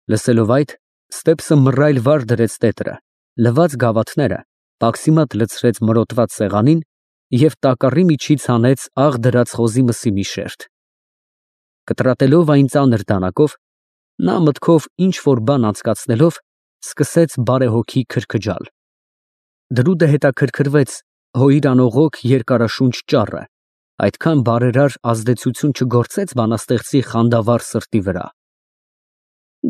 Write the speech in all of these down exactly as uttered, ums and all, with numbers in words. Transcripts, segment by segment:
Լսելով այդ, Ստեփսը մռայլ վար դրեց տետրը, լվաց գավաթները, պաքսիմատ լցրեց մրոտված սեղանին և տակառի միջից հանեց աղ դրած խոզի մսի մի շերտ։ Կտրատելով այն ծանր դանակով, նա մտքով ինչ֊որ բան անցկացնելով, սկսեց բարեհոգի քրքջալ։ Դրուդը հետաքրքրվեց հոյիր անողոք երկարաշունչ ճառը, այդքան բարերար ազդեցություն չգործեց բանաստեղծի խանդավառ սրտի վրա։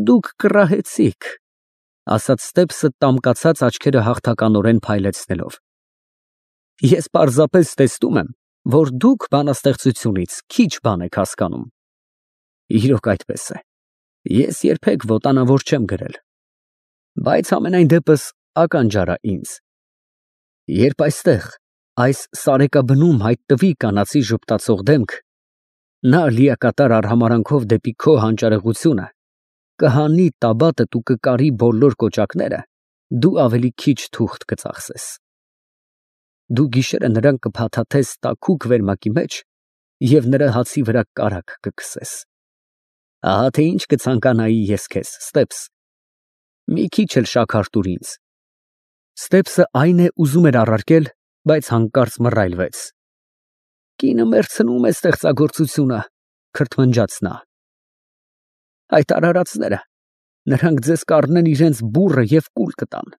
Դուք կռահեցիք, ֊ ասաց Ստեփսը տամկացած աչքերը հաղթականորեն փայլեցնելով։ Ես պարզապես տեսնում եմ, որ դուք բանաստեղծությունից քիչ բան եք հասկանում։ Իրոք այդպես է, ես երբեք ոտանավոր չեմ գրել, բայց համենայն դեպս ականջ արա ինձ։ Երբ այստեղ, այս սարեկաբնում հայտնվի կանացի ժպտացող դեմք, նա լիակատար արհամարհանքով դեպի քո հանճարեղությունը, կհանի տաբատդ ու կկարի բոլոր կոճակները, դու ավելի քիչ թուղթ կծախսես։ Դու գիշերը նրան կփաթաթես տաքուկ վերմակի մեջ և նրա հացի վրա կարագ կքսես։ Ահա թե ինչ կցանկանայի ես քեզ, Ստեփս, մի քիչ էլ շաքար տուր ինձ։ Ստեփսը այն է ուզում էր առարկել, բայց հանկարծ մռայլվեց։ Կինը մեռցնում է ստեղծագործությունը, քրթմնջաց նա։ Այդ արարածները, նրանք ձեզ կառնեն իրենց բուռը և կուլ կտան։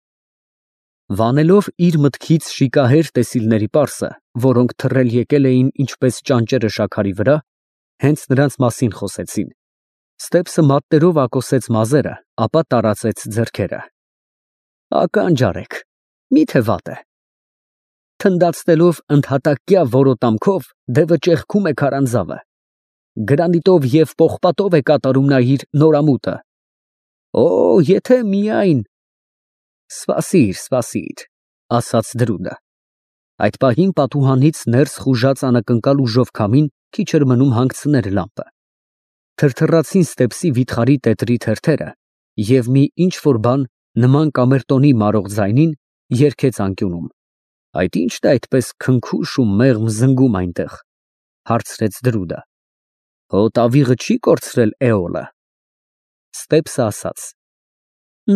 Վանելով իր մտքից շիկահեր տեսիլների պարսը, որոնք թռել եկել էին ինչպես ճանճերը շաքարի վրա, հենց նրանց մասին խոսեցին, Ստեփսը մատներով ակոսեց մազերը, ապա տարածեց ձեռքերը։ Ականջ արեք, մի՞թե վատ է։ Թնդացնելով ընդհատակյա որոտամքով դևը ճեղքում է քարանձավը։ Գրանիտով և պողպատով է կատարում նա իր նորամուտը։ Օ, եթե միայն… Սպասիր, սպասիր, ասաց Դրուդը։ Այդ պահին պատուհանից ներս խուժած անակնկալ ուժով քամին քիչ էր մնում հանգցներ լամպը։ Թրթռացին Ստեփսի վիթխարի տետրի թերթերը, և մի ինչ֊որ բան, նման կամերտոնի մարող ձայնին, երգեց անկյունում։ Այդ ի՞նչն է այդպես քնքուշ ու մեղմ զնգում այնտեղ, ֊ հարցրեց Դրուդը։ Հո տավիղը չի կորցրել էոլը։ Ստեփսը ասաց.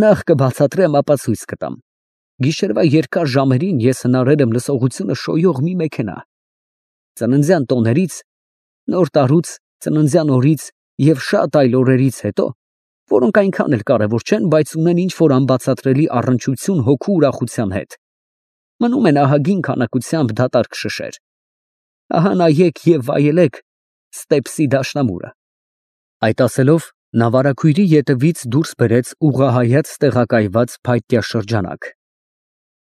Նախ կբացատրեմ, ապա ցույց կտամ։ Գիշերվա երկար ժամերին ես հնարել եմ լսողությունը շոյող մի մեքենա։ Ծննդյան տոներից, նոր տարուց, ծննդյան օրից և շատ այլ օրերից հետո, որոնք այնքան էլ կարևոր չեն, բայց ունեն ինչ֊որ անբացատրելի առնչություն հոգու ուրախության հետ, մնում են ահագին քանակությամբ դատարկ շշեր։ Ահա նայեք և վայելեք Ստեփսի դաշնամուրը։ Այդ ասելով, նա վարագույրի ետևից դուրս բերեց ուղղահայաց տեղակայված փայտյա շրջանակ։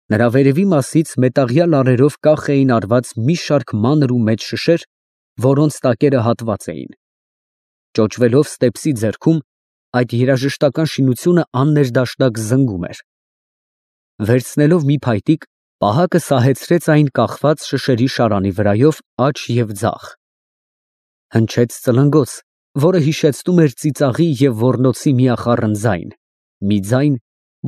Նրա վերևի մասից մետաղյա լարերով կախ էին արված մի շարք մանր ու մեծ շշեր, որոնց տակերը հատված էին։ Ճոճվելով Ստեփսի ձեռքում, այդ երաժշտական շինությունը աններդաշնակ զնգում էր։ Վերցնելով մի փայտիկ, պահակը սահեցրեց այն կախված շշերի շարանի վրայով աջ և ձախ։ Հնչեց ծլնգոց, որը հիշեցնում էր ծիծաղի և ոռնոցի միախառն ձայն, մի ձայն,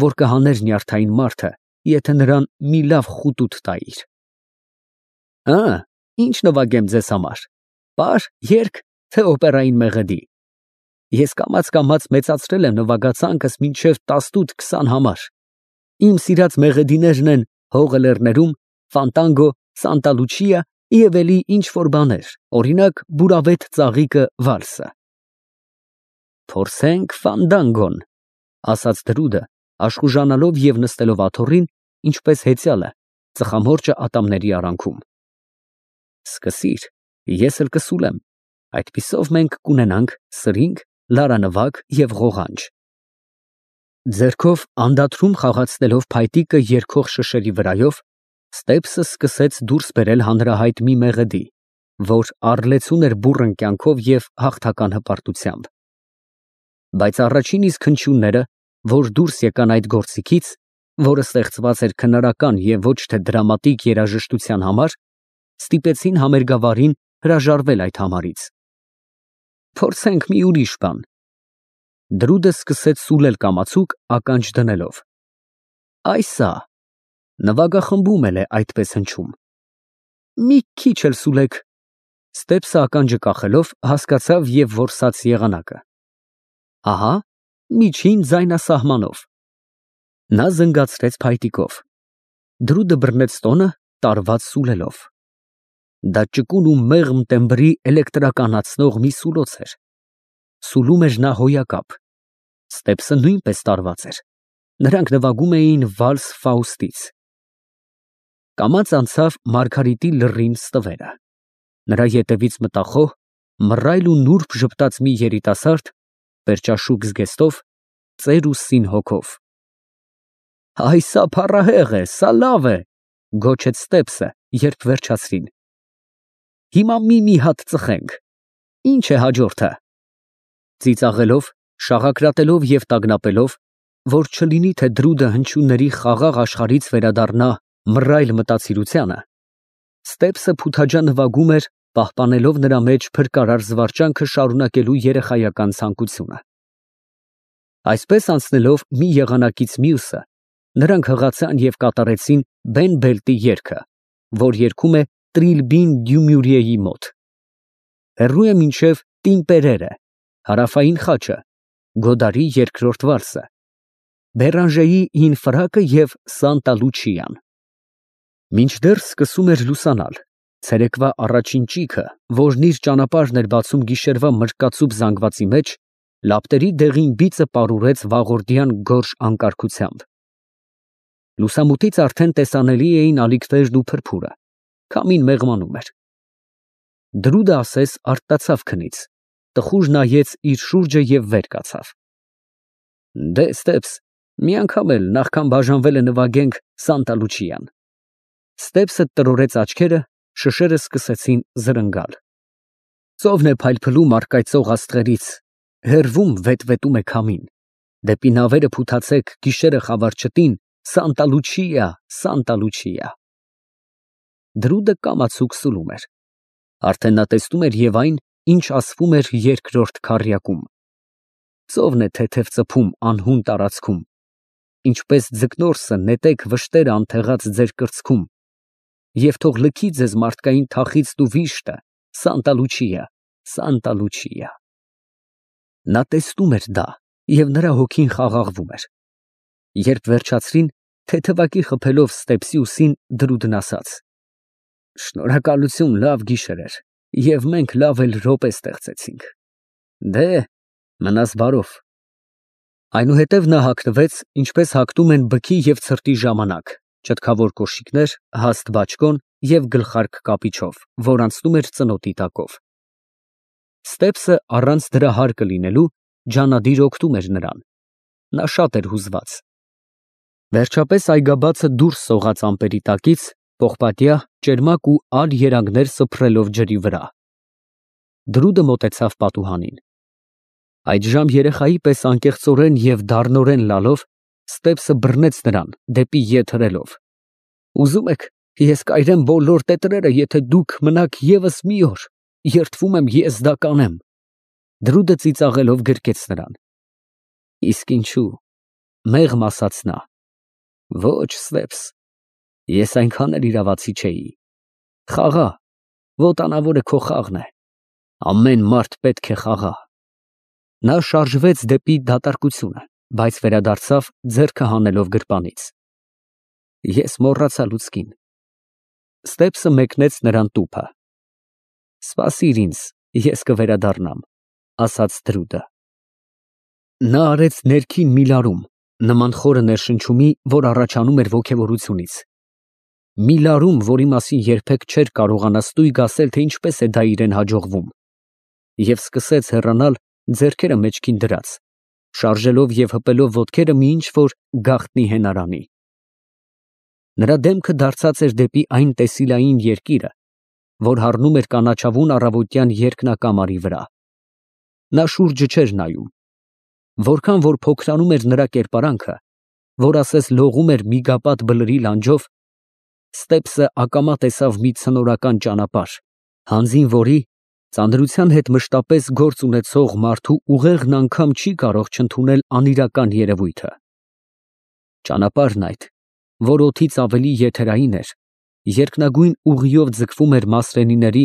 որ կհաներ նյարդային մարդը, եթե նրան մի լավ խուտուտ տայիր։ Ա, ինչ նվագեմ ձեզ համար, պար, երգ, թե օպերային մեղեդի։ Ես կամաց֊կամաց մեծացրել եմ նվագացանկս մինչև տասնութ֊քսան համար։ Իմ սիրած մեղեդիներն են Հողը լեռներում, Ֆանտանգո, Սանտա Լուչիա և էլի ինչ֊որ բաներ, օրինակ, Բուրավետ ծաղիկը վալսը։ Փորձենք Ֆանդանգոն, ասաց Դրուդը, աշխուժանալով և նստելով աթոռին, ինչպես հեծյալը, ծխամորճը ատամների արանքում։ Սկսիր, ես էլ կսուլեմ, այդպիսով մենք կունենանք սրինգ, լարանվագ և ղողանջ։ Ձեռքով անդադրում խաղացնելով փայտիկը երգող շշերի վրայով, Ստեփսը սկսեց դուրս բերել հանրահայտ մի մեղեդի, որ առլեցուն էր բուռն կյանքով և հաղթական հպարտությամբ։ Բայց առաջին իսկ հնչյունները, որ դուրս եկան այդ գործիքից, որը ստեղծված էր քնարական և ոչ թե դրամատիկ երաժշտության համար, ստիպեցին համերգավարին հրաժարվել այդ համարից։ Փորձենք մի ուրիշ բան։ Դրուդը սկսեց սուլել կամացուկ, ականջ դնելով։ Այս ա, նվագախմբում էլ է այդպես հնչում։ Մի քիչ էլ սուլեք։ Ստեփսը ականջը կախելով հասկացավ և որսաց եղանակը։ Ահա, միջին ձայնասահմանով։ Նա զնգացրեց փայտիկով։ Դրուդը բռնեց տոնը, տարված սուլելով։ Դա ճկուն ու մեղմ տեմբրի էլեկտրականացնող մի սուլոց էր։ Սուլում էր նա հոյակապ։ Ստեպսը նույնպես տարված էր։ Նրանք նվագում էին վալս Ֆաուստից։ Կամաց անցավ Մարգարիտի լռին ստվերը։ Նրա ետևից մտախոհ, մռայլ ու նուրբ ժպտաց մի երիտասարդ, պերճաշուք զգեստով, ծեր ու սին հոգով։ «Այ սա փառահեղ է, սա լավ է», գոչեց Ստեպսը, երբ վերջացրին։ «Հիմա մի֊մի հատ ծխենք։ Ինչ է հաջորդը»։ Ծիծաղելով, շաղակրատելով և տագնապելով, որ չլինի թե դրուդը հնչյունների խաղաղ աշխարհից վերադառնա մռայլ մտածիրությանը, Ստեպսը փութաջա նվագում էր, պահպանելով նրա մեջ փրկարար զվարճանքը շարունակելու երեխայական ցանկությունը։ Այսպես անցնելով մի եղանակից մյուսը, նրանք հղացան և կատարեցին Բեն Բելտի երգը, որ երգում է Տրիլբին Դյումյուրիեի մոտ։ Հեռու է մինչև Տիմպերերը, հարավային խաչը, Գոդարի երկրորդ վալսը, Բերանժեի հին ֆրակը և Սանտա Լուչիան։ Մինչդեռ սկսում էր լուսանալ, ցերեկվա առաջին ճիգը, որն իր ճանապարհն էր բացում գիշերվա մրրկածուփ զանգվածի մեջ, լապտերի դեղին բիծը պարուրեց վաղորդյան գորշ անկարգությամբ։ Լուսամուտից արդեն տեսանելի էին ալիքներն ու փրփուրը, քամին մեղմանում էր։ Դրուդը ասես արթնացավ քնից, տխուր նայեց իր շուրջը և վեր կացավ։ Դե, Ստեպս, մի անգամ էլ, նախքան բաժանվելը նվագենք Սանտա Լուչիան։ Ստեպսը տրորեց աչքերը, շշերը սկսեցին զրնգալ։ Ծովն է փայլփլում առկայծող աստղերից, հեռվում վետվետում է քամին։ Դեպի նավերը փութացեք, գիշերը խավար չտին, Սանտա Լուչիա, Սանտա Լուչիա։ Դրուդը կամացուկ սուլում էր։ Արդեն նա տեսնում էր և այն, ինչ ասվում էր երկրորդ քառյակում։ Ծովն է թեթև ծփում անհուն տարածքում, ինչպես ձկնորսը նետեք վշտերը անթեղած ձեր կրծքում, և թող լքի ձեզ մարդկային թախիծն ու վիշտը, Սանտա Լուչիա, Սանտա Լուչիա։ Նա տեսնում էր դա, և նրա հոգին խաղաղվում էր։ Երբ վերջացրին, թեթևակի խփելով Ստեպսի ուսին, Դրուդն ասաց. Շնորհակալություն, լավ գիշեր էր, և մենք լավ էլ րոպե ստեղծեցինք։ Դե, մնաս բարով։ Այնուհետև նա հագնվեց, ինչպես հագնում են բքի և ցրտի ժամանակ, ճտկավոր կոշիկներ, հաստ բաճկոն և գլխարկ կապիչով, որ անցնում էր ծնոտի տակով։ Ստեպսը առանց դրա հարկը լինելու ջանադիր օգնում էր նրան։ Նա շատ էր հուզված։ Վերջապես այգաբացը դուրս սողաց ամպերի տակից, պողպատյա, ճերմակ ու ալ երանգներ սփռելով ջրի վրա։ Դրուդը մոտեցավ պատուհանին։ Այդժամ երեխայի պես անկեղծորեն և դառնորեն լալով, Ստեպսը բռնեց նրան, դեպի ետ հրելով։ Ուզում եք, ես կայրեմ բոլոր տետրերը, եթե դուք մնաք ևս մի օր, երդվում եմ, ես դա կանեմ։ Դրուդը ծիծաղելով գրկեց նրան։ Իսկ ինչու, մեղմ ասաց նա։ Ոչ, Ստեպս, ես այնքան էլ իրավացի չէի։ Խաղա, ոտանավորը քո խաղն է։ Ամեն մարդ պետք է խաղա։ Նա շարժվեց դեպի դատարկությունը, բայց վերադարձավ, ձեռքը հանելով գրպանից։ Ես մոռացա լուցկին։ Ստեպսը մեկնեց նրան տուփը։ Սպասիր ինձ, ես կվերադառնամ, ասաց Դրուդը։ Նա արեց ներքին մի լարում, նման խորը ներշնչումի, որ առաջանում էր ոգևորությունից։ Մի լարում, որի մասին երբեք չէր կարողանա ստույգ ասել, թե ինչպես է դա իրեն հաջողվում։ Եվ սկսեց հեռանալ, ձեռքերը մեջքին դրած, շարժելով և հպելով ոտքերը մի ինչ-որ գաղտնի հենարանի։ Նրա դեմքը դարձած էր դեպի այն տեսիլային երկիրը, որ հառնում էր կանաչավուն առավոտյան երկնակամարի վրա։ Նա շուրջը չէր նայում։ Որքան որ փոքրանում էր նրա կերպարանքը, որ ասես լողում էր միգապատ բլրի լանջով, Ստեպսը ակամա տեսավ մի ցնորական ճանապարհ, հանձին որի ծանրության հետ մշտապես գործ ունեցող մարդու ուղեղն անգամ չի կարող չընդունել անիրական երևույթը։ Ճանապարհն այդ, որ օդից ավելի եթերային էր, երկնագույն ուղիով ձգվում էր մասրենիների,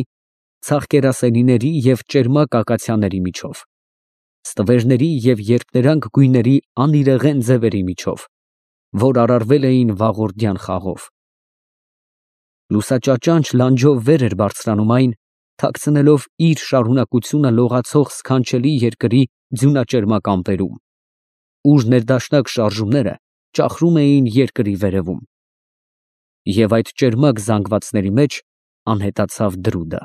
ցախկերասենիների և ճերմակ ակացիաների միջով։ Ստվերների և երկներանգ գույների անիրեղեն ձևերի միջով, որ արարվել էին վաղորդյան խաղով։ Լուսաճաճանճ լանջով վեր էր բարձրանում այն, թաքցնելով իր շարունակությունը լողացող սքանչելի երկրի ձյունաճերմակ ամպերում, ուր ներդաշնակ շարժումները ճախրում էին երկրի վերևում, և այդ ճերմակ զանգվածների մեջ անհետացավ դրուդը։